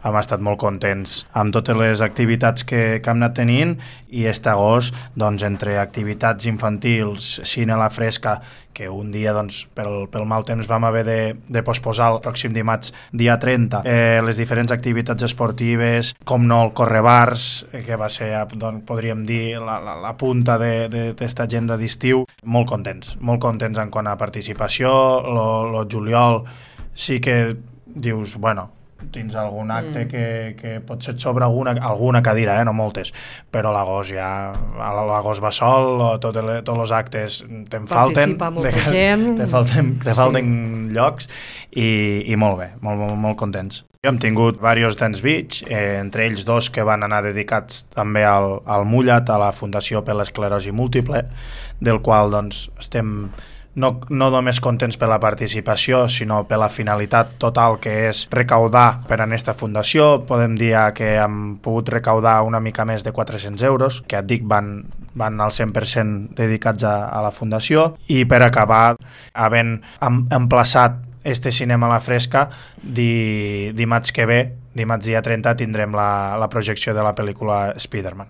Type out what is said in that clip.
hem estat molt contents amb totes les activitats que hem anat tenint, i aquest agost, doncs, entre activitats infantils, cine a la fresca, que un dia, doncs, pel mal temps vam haver de posposar el pròxim dimarts, dia 30, les diferents activitats esportives, com no el Correbars, que va ser, doncs, podríem dir, la punta d'esta agenda d'estiu. Molt contents en quant a participació. Lo juliol sí que dius, bueno, tens algun acte que potser et sobra alguna cadira, no moltes, però l'agost ja, l'agost va sol, tots els actes te'n falten, participa molta gent, te falten llocs, i molt bé, molt contents. Hem tingut diversos Dance Beach, entre ells 2 que van anar dedicats també al Mullat, a la Fundació per l'Esclerosi Múltiple, del qual, doncs, estem no només contents per la participació, sinó per la finalitat total, que és recaudar per a aquesta fundació. Podem dir que hem pogut recaudar una mica més de 400 euros, que et dic van al 100% dedicats a la fundació. I per acabar, havent emplaçat este cinema a la fresca, dimarts que ve, dimarts dia 30, tindrem la projecció de la pel·lícula Spider-Man.